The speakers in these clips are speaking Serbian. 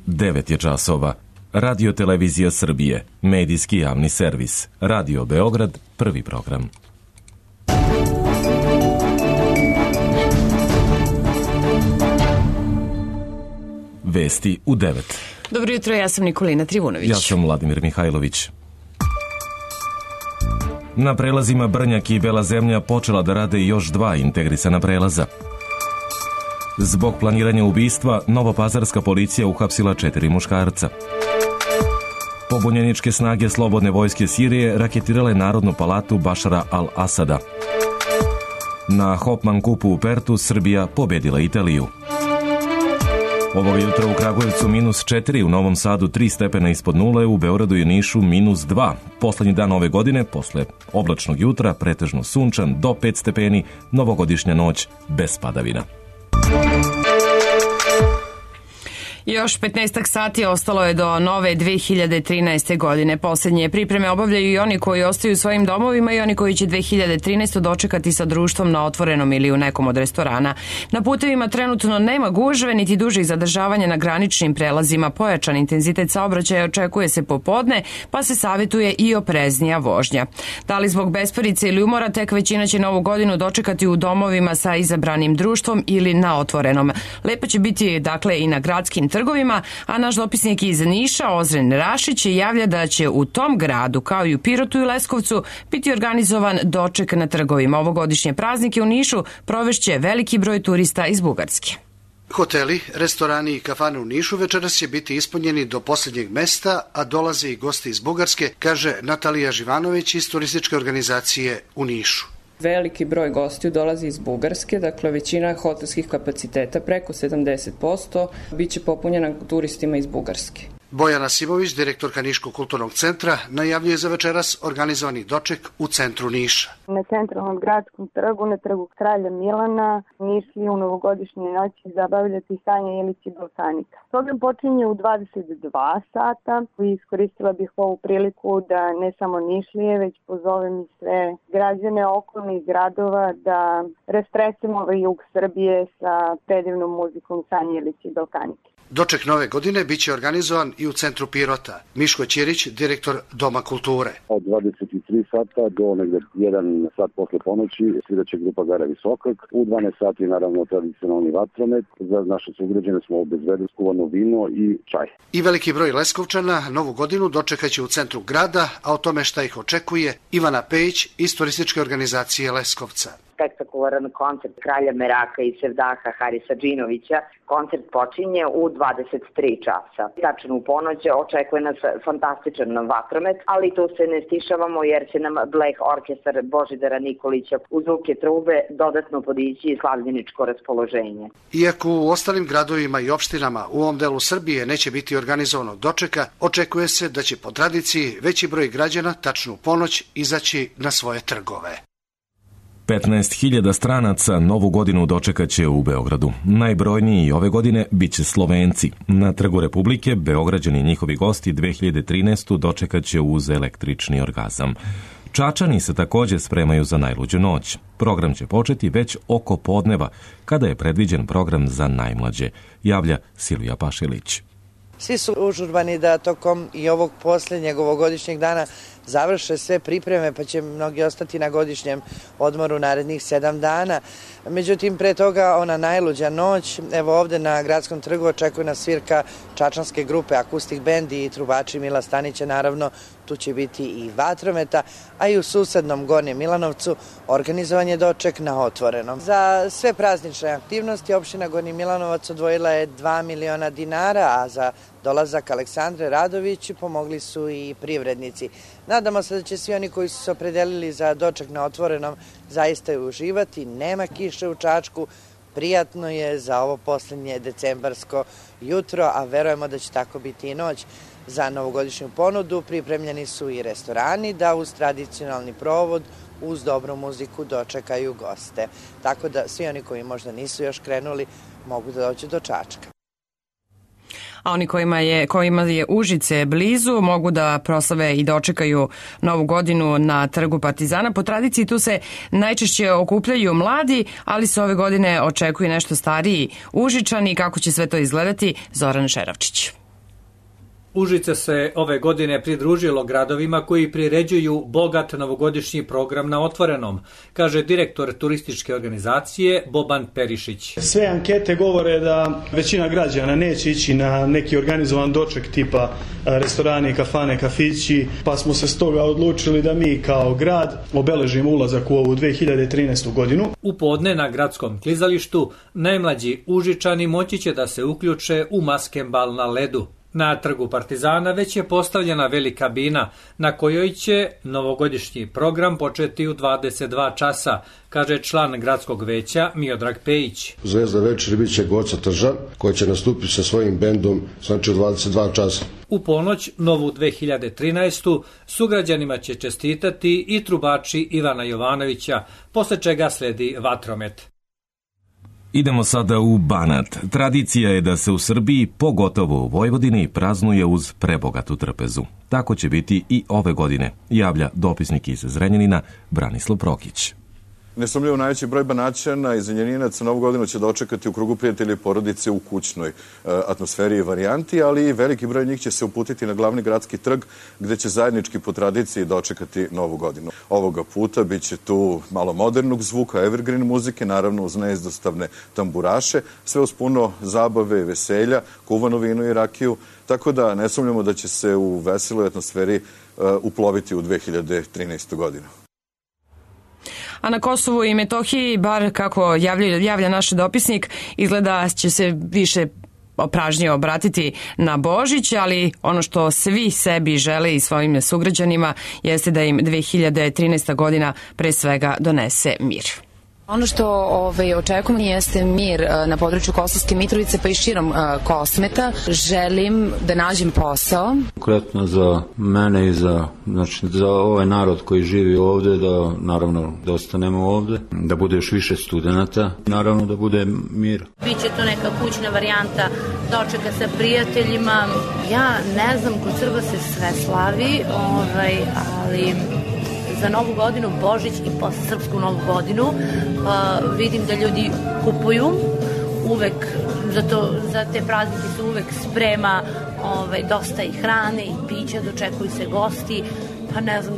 9 je časova. Radio Televizija Srbije, medijski javni servis. Radio Beograd, prvi program. Vesti u 9. Dobro jutro, ja sam Nikolina Trivunović. Ja sam Vladimir Mihajlović. Na prelazima Brnjak i Bela Zemlja počela da rade još 2 integrisana prelaza. Zbog planiranja ubistva, novopazarska policija uhapsila 4 muškarca. Pobunjeničke snage Slobodne vojske Sirije raketirale Narodnu palatu Bašara al-Asada. Na Hopman kupu u Pertu Srbija pobedila Italiju. Ovog jutra u Kragujevcu -4, u Novom Sadu 3 stepena ispod nule, u Beogradu i Nišu -2. Poslednji dan ove godine, posle oblačnog jutra, pretežno sunčan, do 5 stepeni, novogodišnja noć bez padavina. Još 15 sati ostalo je do nove 2013. godine. Posljednje pripreme obavljaju i oni koji ostaju u svojim domovima i oni koji će 2013. dočekati sa društvom na otvorenom ili u nekom od restorana. Na putevima trenutno nema gužve niti dužih zadržavanja na graničnim prelazima. Pojačan intenzitet saobraćaja očekuje se popodne, pa se savjetuje i opreznija vožnja. Da li zbog besparice ili umora, tek većina će novu godinu dočekati u domovima sa izabranim društvom ili na otvorenom. Lepo će biti dakle i na gradskim trgovima, a naš dopisnik iz Niša, Ozren Rašić, javlja da će u tom gradu, kao i u Pirotu i Leskovcu, biti organizovan doček na trgovima. Ovogodišnje praznike u Nišu provešće veliki broj turista iz Bugarske. Hoteli, restorani i kafane u Nišu večeras će biti ispunjeni do posljednjeg mesta, a dolaze i gosti iz Bugarske, kaže Natalija Živanović iz turističke organizacije u Nišu. Veliki broj gostiju dolazi iz Bugarske, dakle većina hotelskih kapaciteta, preko 70%, bit će popunjena turistima iz Bugarske. Bojana Simović, direktorka Niškog kulturnog centra, najavljuje za večeras organizovani doček u centru Niša. Na centralnom gradskom trgu, na trgu Kralja Milana, Nišli u novogodišnjoj noći zabavljati Sanja Ilić i Balkanika. Program počinje u 22 sata i iskoristila bih ovu priliku da ne samo Nišlije, već pozovem i sve građane okolnih gradova da rastresemo ovaj jug Srbije sa predivnom muzikom Sanja Ilić i Balkanike. Doček nove godine biće organizovan i u centru Pirota. Miško Ćirić, direktor Doma kulture. Od 23 sata do negde 1 sat posle ponoći sviraće grupa Gara Visokak. U 12 sati naravno tradicionalni vatromet. Za naše sugrađane smo obezbedili skuvano vino i čaj. I veliki broj Leskovčana novu godinu dočekaće u centru grada, a o tome šta ih očekuje Ivana Pejić iz turističke organizacije Leskovca. Spektakularan koncert Kralja Meraka i Sevdaha Harisa Džinovića. Koncert počinje u 23 časa. Tačno u ponoć očekuje nas fantastičan vatromet, ali tu se ne stišavamo jer će nam Bleh orkestar Božidara Nikolića uz zvuke trube dodatno podići slavljeničko raspoloženje. Iako u ostalim gradovima i opštinama u ovom delu Srbije neće biti organizovano dočeka, očekuje se da će po tradiciji veći broj građana tačno u ponoć izaći na svoje trgove. 15.000 stranaca novu godinu dočekaće u Beogradu. Najbrojniji ove godine biće Slovenci. Na Trgu Republike Beograđani i njihovi gosti 2013. dočekaće uz električni orgazam. Čačani se također spremaju za najluđu noć. Program će početi već oko podneva, kada je predviđen program za najmlađe, javlja Silvija Pašilić. Svi su užurbani da tokom i ovog posljednjeg ovogodišnjeg dana završe sve pripreme, pa će mnogi ostati na godišnjem odmoru narednih 7 dana. Međutim, pre toga ona najluđa noć, evo ovde na Gradskom trgu očekuje nas svirka čačanske grupe Akustik bend i trubači Mila Stanića, naravno tu će biti i vatrometa, a i u susednom Gornjem Milanovcu organizovan je doček na otvorenom. Za sve praznične aktivnosti opština Gornji Milanovac odvojila je 2 miliona dinara, a za dolazak Aleksandre Radović pomogli su i privrednici. Nadamo se da će svi oni koji su se opredelili za doček na otvorenom zaista uživati. Nema kiše u Čačku, prijatno je za ovo posljednje decembarsko jutro, a verujemo da će tako biti i noć. Za novogodišnju ponudu pripremljeni su i restorani da uz tradicionalni provod, uz dobru muziku dočekaju goste. Tako da svi oni koji možda nisu još krenuli mogu da dođu do Čačka. A oni kojima je Užice blizu mogu da proslave i dočekaju novu godinu na Trgu Partizana. Po tradiciji tu se najčešće okupljaju mladi, ali se ove godine očekuje nešto stariji Užičani. Kako će sve to izgledati? Zoran Šeravčić. Užice se ove godine pridružilo gradovima koji priređuju bogat novogodišnji program na otvorenom, kaže direktor turističke organizacije Boban Perišić. Sve ankete govore da većina građana neće ići na neki organizovan doček tipa restorani, kafane, kafići, pa smo se stoga odlučili da mi kao grad obeležimo ulazak u ovu 2013. godinu. U podne na gradskom klizalištu najmlađi Užičani moći će da se uključe u maskembal na ledu. Na trgu Partizana već je postavljena velika bina na kojoj će novogodišnji program početi u 22 časa, kaže član gradskog veća Miodrag Pejić. Zvezda večeri bit će Goca Tržan koja će nastupiti sa svojim bendom, znači u 22 časa. U ponoć, novu 2013. sugrađanima će čestitati i trubači Ivana Jovanovića, posle čega sledi vatromet. Idemo sada u Banat. Tradicija je da se u Srbiji, pogotovo u Vojvodini, praznuje uz prebogatu trpezu. Tako će biti i ove godine, javlja dopisnik iz Zrenjanina Branislav Prokić. Nesumljivo najveći broj Banaćana i Zrenjaninaca Novu godinu će dočekati u krugu prijatelja i porodice u kućnoj atmosferi i varijanti, ali i veliki broj njih će se uputiti na glavni gradski trg gde će zajednički po tradiciji dočekati Novu godinu. Ovoga puta bit će tu malo modernog zvuka, evergreen muzike, naravno uz neizdostavne tamburaše, sve uz puno zabave, veselja, kuvano vino i rakiju, tako da ne sumnjamo da će se u veseloj atmosferi uploviti u 2013. godinu. A na Kosovu i Metohiji, bar kako javlja naš dopisnik, izgleda će se više pražnije obratiti na Božić, ali ono što svi sebi žele i svojim sugrađanima jeste da im 2013. godina pre svega donese mir. Ono što očekujemo jeste mir na području Kosovske Mitrovice pa i širom Kosmeta. Želim da nađem posao. Konkretno za mene i za ovaj narod koji živi ovde, da naravno da ostanemo ovde, da bude još više studenata, naravno da bude mir. Biće to neka kućna varijanta dočeka sa prijateljima. Ja ne znam, kod Srba se sve slavi, ali za Novu godinu, Božić i posle Srpsku Novu godinu vidim da ljudi kupuju uvek, za te praznike se uvek sprema dosta i hrane i pića, dočekuju se gosti, pa ne znam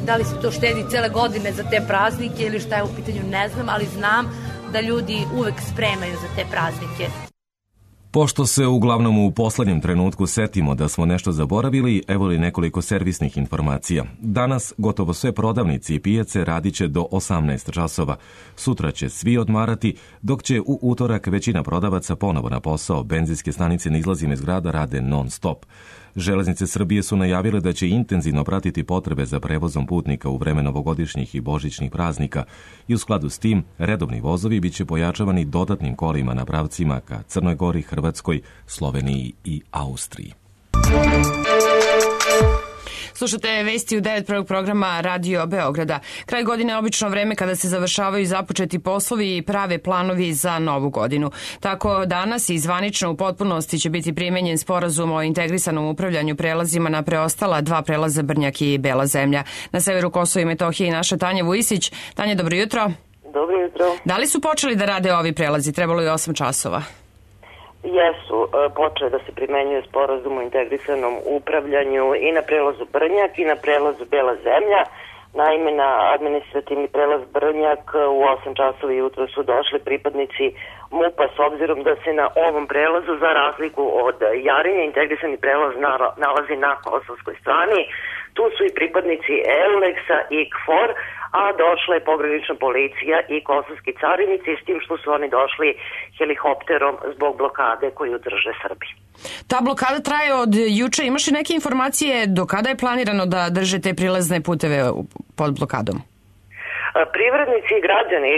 da li se to štedi cele godine za te praznike ili šta je u pitanju, ne znam, ali znam da ljudi uvek spremaju za te praznike. Pošto se uglavnom u poslednjem trenutku setimo da smo nešto zaboravili, evo li nekoliko servisnih informacija. Danas gotovo sve prodavnice i pijace radit će do 18 časova. Sutra će svi odmarati, dok će u utorak većina prodavaca ponovo na posao. Benzinske stanice na izlazima iz grada rade non stop. Železnice Srbije su najavile da će intenzivno pratiti potrebe za prevozom putnika u vreme novogodišnjih i božićnih praznika i u skladu s tim redovni vozovi biće pojačavani dodatnim kolima na pravcima ka Crnoj Gori, Hrvatskoj, Sloveniji i Austriji. Slušate vesti u 9. programa Radio Beograda. Kraj godine je obično vreme kada se završavaju započeti poslovi i prave planovi za Novu godinu. Tako danas i zvanično u potpunosti će biti primenjen sporazum o integrisanom upravljanju prelazima na preostala dva prelaza Brnjak i Bela zemlja. Na severu Kosova i Metohije naša Tanja Vujisić. Tanja, dobro jutro. Dobro jutro. Da li su počeli da rade ovi prelazi? Trebalo je 8 časova. Jesu, počeo da se primenjuje sporazum o integrisanom upravljanju i na prelazu Brnjak i na prelazu Bela zemlja. Naime, na administrativni prelaz Brnjak u 8 časova jutro su došli pripadnici MUP-a, s obzirom da se na ovom prelazu, za razliku od Jarinja, integrisani prelaz nalazi na kosovskoj strani. Tu su i pripadnici EULEX-a i KFOR, a došla je pogranična policija i kosovski carinici, s tim što su oni došli helikopterom zbog blokade koju drže Srbi. Ta blokada traje od juče. Imaš li neke informacije do kada je planirano da drže te prilazne puteve pod blokadom? Privrednici i građani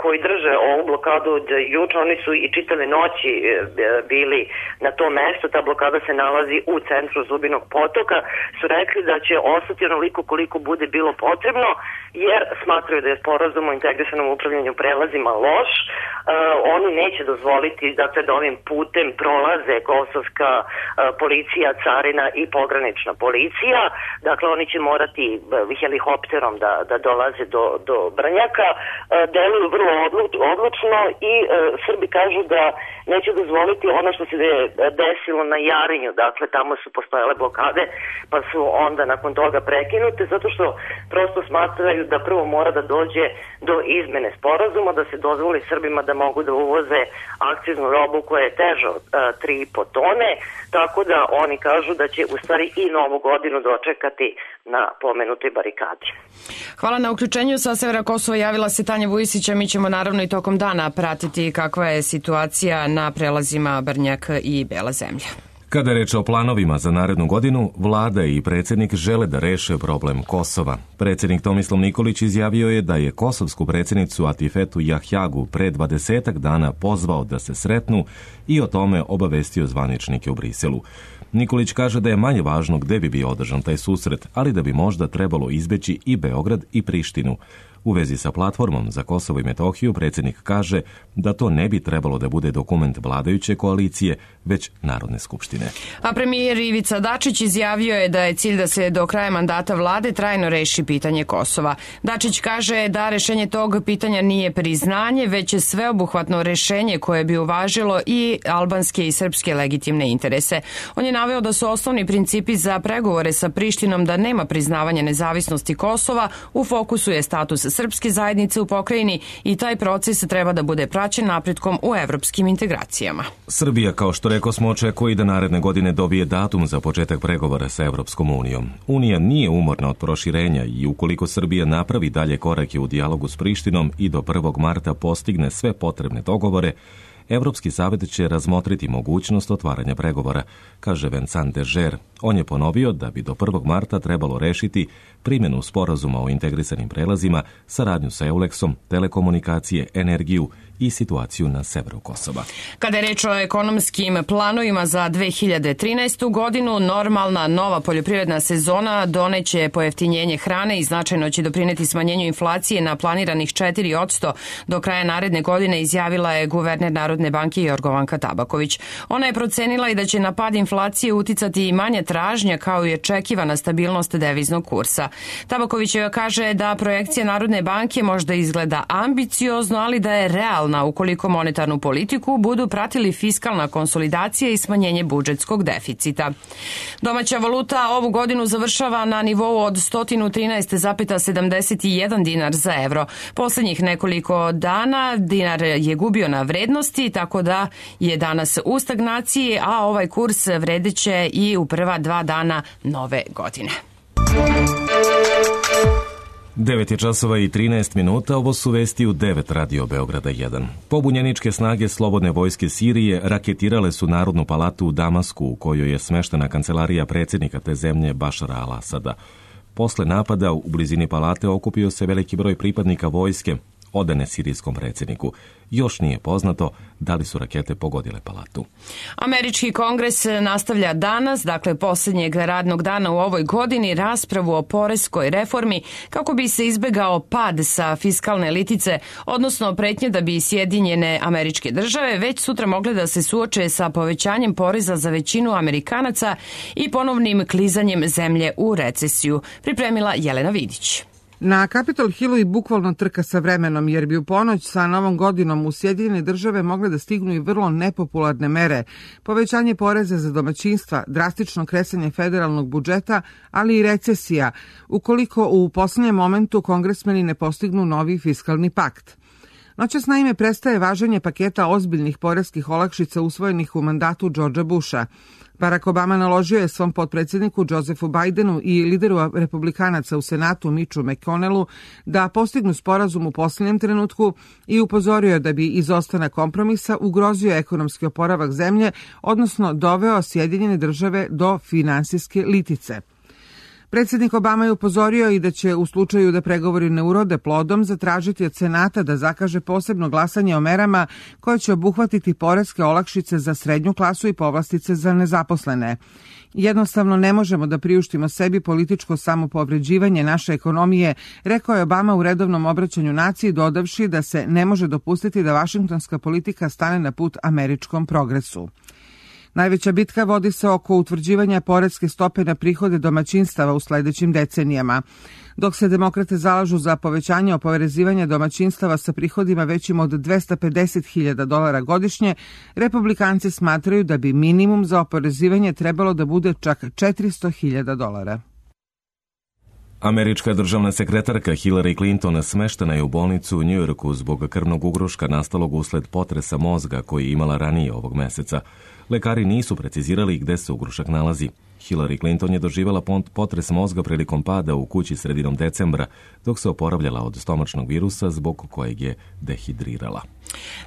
koji drže ovu blokadu od juče, oni su i čitave noći bili na tom mestu. Ta blokada se nalazi u centru Zubinog potoka. Su rekli da će ostati onoliko koliko bude bilo potrebno, jer smatraju da je sporazum o integrisanom upravljanju prelazima loš. Oni neće dozvoliti da ovim putem prolaze kosovska policija, carina i pogranična policija. Dakle, oni će morati helikopterom da dolaze do Brnjaka deluju vrlo odlučno i Srbi kažu da neće dozvoliti ono što se desilo na Jarinju, dakle tamo su postojale blokade pa su onda nakon toga prekinute zato što prosto smatraju da prvo mora da dođe do izmene sporazuma, da se dozvoli Srbima da mogu da uvoze akciznu robu koja je teža od 3,5 tone, tako da oni kažu da će u stvari i novu godinu dočekati na pomenutoj barikadi. Hvala na uključenju. Sa severa Kosova javila se Tanja Vujisića. Mi ćemo naravno i tokom dana pratiti kakva je situacija na prelazima Brnjak i Bela zemlja. Kada je reč o planovima za narednu godinu, vlada i predsjednik žele da reše problem Kosova. Predsjednik Tomislav Nikolić izjavio je da je kosovsku predsjednicu Atifetu Jahjagu pre 20 dana pozvao da se sretnu i o tome obavestio zvaničnike u Briselu. Nikolić kaže da je manje važno gde bi bio održan taj susret, ali da bi možda trebalo izbeći i Beograd i Prištinu. U vezi sa platformom za Kosovo i Metohiju predsjednik kaže da to ne bi trebalo da bude dokument vladajuće koalicije, već Narodne skupštine. A premijer Ivica Dačić izjavio je da je cilj da se do kraja mandata vlade trajno reši pitanje Kosova. Dačić kaže da rešenje tog pitanja nije priznanje, već je sveobuhvatno rešenje koje bi uvažilo i albanske i srpske legitimne interese. On je naveo da su osnovni principi za pregovore sa Prištinom da nema priznavanja nezavisnosti Kosova, u fokusu je status srpske zajednice u pokrajini i taj proces treba da bude praćen napretkom u evropskim integracijama. Srbija, kao što rekao smo, očekuje da naredne godine dobije datum za početak pregovora sa Evropskom unijom. Unija nije umorna od proširenja i ukoliko Srbija napravi dalje korake u dijalogu s Prištinom i do 1. marta postigne sve potrebne dogovore, Evropski savjet će razmotriti mogućnost otvaranja pregovora, kaže Vincent Dežer. On je ponovio da bi do 1. marta trebalo rešiti primjenu sporazuma o integrisanim prelazima, saradnju sa Euleksom, telekomunikacije, energiju i situaciju na severu Kosova. Kada je reč o ekonomskim planovima za 2013. godinu, normalna nova poljoprivredna sezona doneće pojeftinjenje hrane i značajno će doprineti smanjenju inflacije na planiranih 4% do kraja naredne godine, izjavila je guverner Narodne banke Jorgovanka Tabaković. Ona je procenila i da će na pad inflacije uticati i manja tražnja kao i očekivana stabilnost deviznog kursa. Tabaković kaže da projekcija Narodne banke možda izgleda ambiciozno, ali da je realna ukoliko monetarnu politiku budu pratili fiskalna konsolidacija i smanjenje budžetskog deficita. Domaća valuta ovu godinu završava na nivou od 113,71 dinar za evro. Poslednjih nekoliko dana dinar je gubio na vrednosti, tako da je danas u stagnaciji, a ovaj kurs vredeće i u prva 2 dana nove godine. 9 je časova i 13 minuta, ovo su vesti u 9 Radio Beograda 1. Pobunjeničke snage Slobodne vojske Sirije raketirale su Narodnu palatu u Damasku, u kojoj je smeštena kancelarija predsjednika te zemlje Bašara al-Asada. Posle napada u blizini palate okupio se veliki broj pripadnika vojske, odane sirijskom predsjedniku. Još nije poznato da li su rakete pogodile palatu. Američki kongres nastavlja danas, dakle posljednjeg radnog dana u ovoj godini, raspravu o poreskoj reformi kako bi se izbegao pad sa fiskalne litice, odnosno pretnje da bi Sjedinjene Američke Države već sutra mogle da se suoče sa povećanjem poreza za većinu Amerikanaca i ponovnim klizanjem zemlje u recesiju. Pripremila Jelena Vidić. Na Capitol Hillu i bukvalno trka sa vremenom, jer bi u ponoć sa Novom godinom u Sjedinjene Države mogle da stignu i vrlo nepopularne mere. Povećanje poreza za domaćinstva, drastično kresanje federalnog budžeta, ali i recesija, ukoliko u poslednjem momentu kongresmeni ne postignu novi fiskalni pakt. Noćas naime prestaje važenje paketa ozbiljnih poreskih olakšica usvojenih u mandatu Georgea Busha. Barack Obama naložio je svom potpredsjedniku Josephu Bidenu i lideru republikanaca u Senatu Mitchu McConnellu da postignu sporazum u posljednjem trenutku i upozorio da bi izostanak kompromisa ugrozio ekonomski oporavak zemlje, odnosno doveo Sjedinjene Države do finansijske litice. Predsjednik Obama je upozorio i da će u slučaju da pregovori ne urode plodom zatražiti od Senata da zakaže posebno glasanje o merama koje će obuhvatiti poreske olakšice za srednju klasu i povlastice za nezaposlene. Jednostavno ne možemo da priuštimo sebi političko samopovređivanje naše ekonomije, rekao je Obama u redovnom obraćanju naciji, dodavši da se ne može dopustiti da vašingtonska politika stane na put američkom progresu. Najveća bitka vodi se oko utvrđivanja poreske stope na prihode domaćinstava u sledećim decenijama. Dok se demokrate zalažu za povećanje oporezivanja domaćinstava sa prihodima većim od $250.000 godišnje, republikanci smatraju da bi minimum za oporezivanje trebalo da bude čak $400.000. Američka državna sekretarka Hillary Clinton smeštena je u bolnicu u Njujorku zbog krvnog ugruška nastalog usled potresa mozga koji je imala ranije ovog meseca. Lekari nisu precizirali gde se ugrušak nalazi. Hillary Clinton je doživjela potres mozga prilikom pada u kući sredinom decembra, dok se oporavljala od stomačnog virusa zbog kojeg je dehidrirala.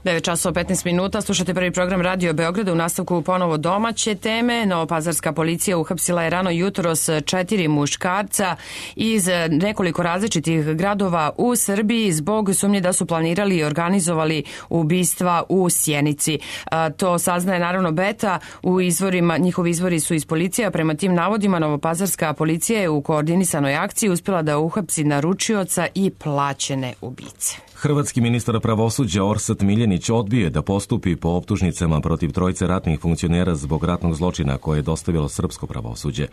9:15, slušate prvi program Radio Beograda. U nastavku ponovo domaće teme. Novopazarska policija uhapsila je rano jutros 4 muškarca iz nekoliko različitih gradova u Srbiji zbog sumnje da su planirali i organizovali ubistva u Sjenici. To saznaje naravno Beta. U izvorima, njihovi izvori su iz policije. Prema tim navodima Novopazarska policija je u koordinisanoj akciji uspjela da uhapsi naručioca i plaćene ubice. Hrvatski ministar pravosuđa Orsat Miljenić odbio da postupi po optužnicama protiv trojice ratnih funkcionera zbog ratnog zločina koje je dostavilo srpsko pravosuđe.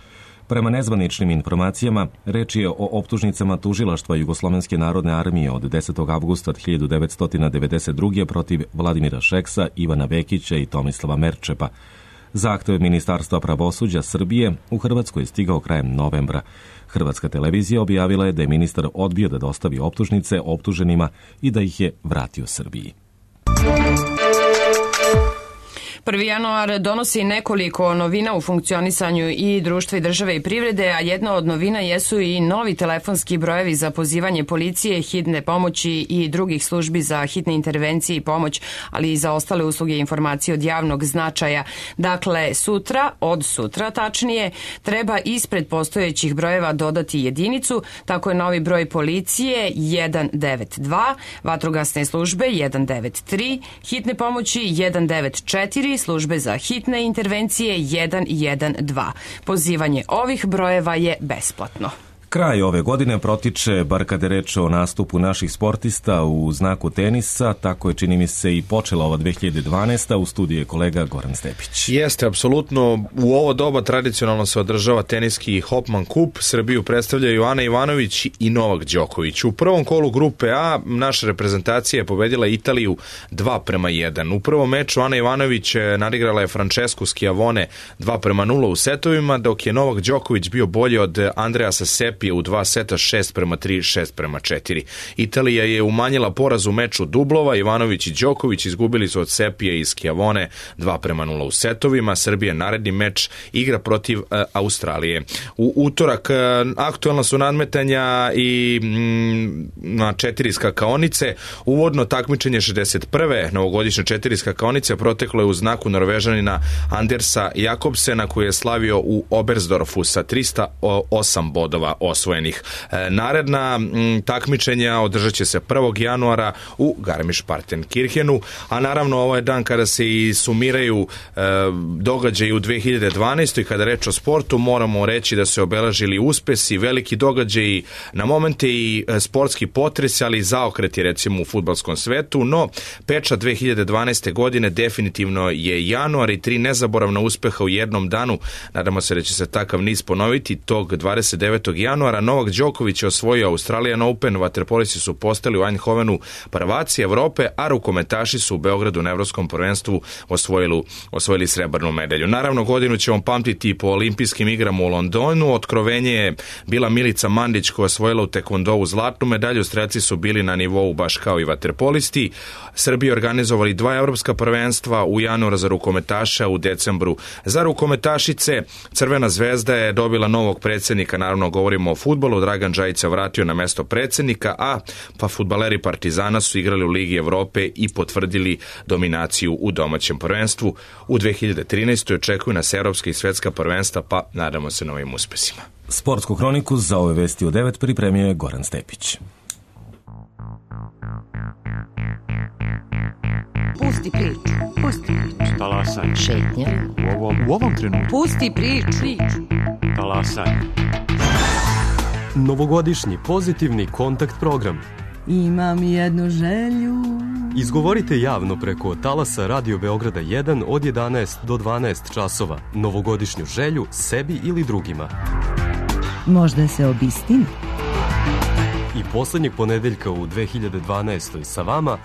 Prema nezvaničnim informacijama, reč je o optužnicama tužilaštva Jugoslovenske narodne armije od 10. avgusta 1992. protiv Vladimira Šeksa, Ivana Vekića i Tomislava Merčepa. Zahtev Ministarstva pravosuđa Srbije u Hrvatskoj je stigao krajem novembra. Hrvatska televizija objavila je da je ministar odbio da dostavi optužnice optuženima i da ih je vratio Srbiji. 1. januar donosi nekoliko novina u funkcionisanju i društva i države i privrede, a jedna od novina jesu i novi telefonski brojevi za pozivanje policije, hitne pomoći i drugih službi za hitne intervencije i pomoć, ali i za ostale usluge i informacije od javnog značaja. Dakle, od sutra tačnije, treba ispred postojećih brojeva dodati jedinicu, tako je novi broj policije 192, vatrogasne službe 193, hitne pomoći 194, službe za hitne intervencije 112. Pozivanje ovih brojeva je besplatno. Kraj ove godine protiče, bar kada je reč o nastupu naših sportista u znaku tenisa, tako je čini mi se i počela ova 2012. U studiju je kolega Goran Stepić. Jeste, apsolutno. U ovo doba tradicionalno se održava teniski Hopman Kup. Srbiju predstavljaju Ana Ivanović i Novak Đoković. U prvom kolu grupe A naša reprezentacija je pobedila Italiju 2:1. U prvom meču Ana Ivanović nadigrala je Francesku Schiavone 2:0 u setovima, dok je Novak Đoković bio bolji od Andreasa Sepija u 2 seta 6:3, 6:4. Italija je umanjila poraz u meču dublova. Ivanović i Đoković izgubili su od Sepije i Schiavone 2:0 u setovima. Srbija naredni meč igra protiv Australije. U utorak aktualna su nadmetanja i na 4 skakaonice. Uvodno takmičenje 61. novogodišnje 4 skakaonice proteklo je u znaku Norvežanina Andersa Jakobsena, koji je slavio u Oberstdorfu sa 308 bodova osvojenih. Naredna takmičenja održat će se 1. januara u Garmisch-Partenkirchenu, a naravno ovo je dan kada se i sumiraju događaji u 2012. Kada reč o sportu, moramo reći da se obeležili uspesi, veliki događaji, na momente i sportski potres, ali i zaokreti recimo u fudbalskom svetu, no pečat 2012. godine definitivno je januar i 3 nezaboravna uspeha u jednom danu. Nadamo se da će se takav niz ponoviti. Tog 29. januara Novak Đoković je osvojio Australian Open, vaterpolisti su postali u Eindhovenu prvaci Evrope, a rukometaši su u Beogradu na Evropskom prvenstvu osvojili srebrnu medalju. Naravno, godinu ćemo pamtiti po olimpijskim igrama u Londonu. Otkrovenje je bila Milica Mandić, koja je osvojila u tekvondovu zlatnu medalju. Strelci su bili na nivou baš kao i vaterpolisti. Srbiji organizovali 2 evropska prvenstva u januaru za rukometaša, u decembru za rukometašice. Crvena zvezda je dobila novog predsjednika, naravno govorimo o fudbalu. Dragan Džajić se vratio na mesto predsjednika, a fudbaleri Partizana su igrali u Ligi Evrope i potvrdili dominaciju u domaćem prvenstvu. U 2013. očekuju nas evropska i svetska prvenstva, pa nadamo se novim uspesima. Sportsku hroniku za ove vesti u 9 pripremio je Goran Stepić. Pusti priču, pusti priču. Talasaj. Šetnja. U ovom trenutku. Pusti priču. Talasaj. Novogodišnji pozitivni kontakt program. imam jednu želju. Izgovorite javno preko talasa Radio Beograda 1 od 11 do 12 časova novogodišnju želju sebi ili drugima. Možda se obistini. I poslednjeg ponedeljka u 2012. sa vama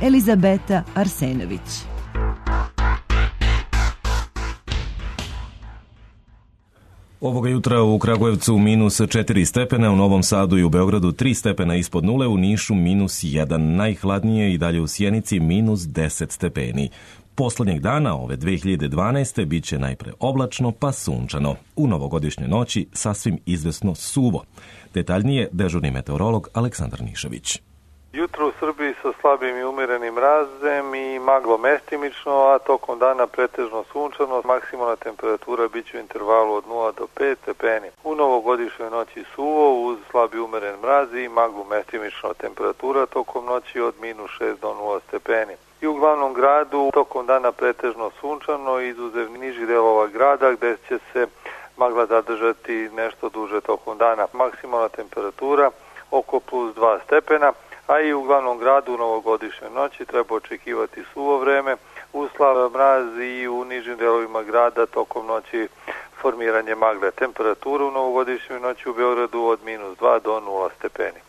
Elizabeta Arsenović. Ovoga jutra u Kragujevcu minus 4 stepena, u Novom Sadu i u Beogradu 3 stepena ispod nule, u Nišu minus 1, najhladnije i dalje u Sjenici minus 10 stepeni. Poslednjeg dana ove 2012. bit će najpre oblačno pa sunčano. U novogodišnjoj noći sasvim izvesno suvo. Detaljnije dežurni meteorolog Aleksandar Nišević. Jutro u Srbiji sa slabim i umerenim mrazem i maglo mestimično, a tokom dana pretežno sunčano, maksimalna temperatura bit će u intervalu od 0 do 5 stepeni. U novogodišnjoj noći suvo uz slabi umeren mraz i maglo mestimično, temperatura tokom noći od minus 6 do 0 stepeni. I u glavnom gradu tokom dana pretežno sunčano, izuzev nižih delova grada gde će se magla zadržati nešto duže tokom dana. Maksimalna temperatura oko plus 2 stepena, a i u glavnom gradu u novogodišnjoj noći treba očekivati suvo vreme, uslab mraz i u nižim delovima grada tokom noći formiranje magle. Temperatura u novogodišnjoj noći u Beogradu od minus 2 do 0 stepeni.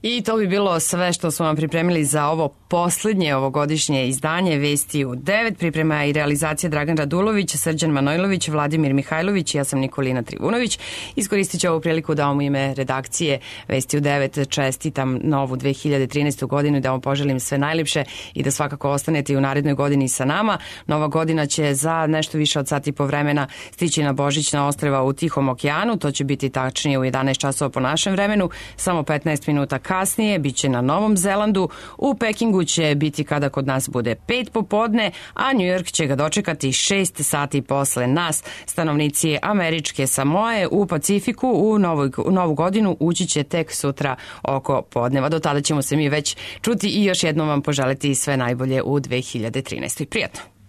I to bi bilo sve što smo vam pripremili za ovo poslednje ovogodišnje izdanje Vesti u 9. Priprema i realizacija Dragan Radulović, Srđan Manojlović, Vladimir Mihajlović i ja sam Nikolina Trivunović. Iskoristit ću ovu priliku da vam u ime redakcije Vesti u 9 čestitam novu 2013. godinu i da vam poželim sve najlepše i da svakako ostanete i u narednoj godini sa nama. Nova godina će za nešto više od sat i po vremena stići na Božićna ostrva u Tihom okeanu. To će biti tačnije u 11 časova po našem vremenu. Samo 15 minuta kasnije biće na Novom Zelandu. U Pekingu će biti kada kod nas bude 5 popodne, a New York će ga dočekati 6 sati posle nas. Stanovnici američke Samoe u Pacifiku u novu godinu ući će tek sutra oko podneva. Do tada ćemo se mi već čuti i još jednom vam poželiti sve najbolje u 2013. Prijatno!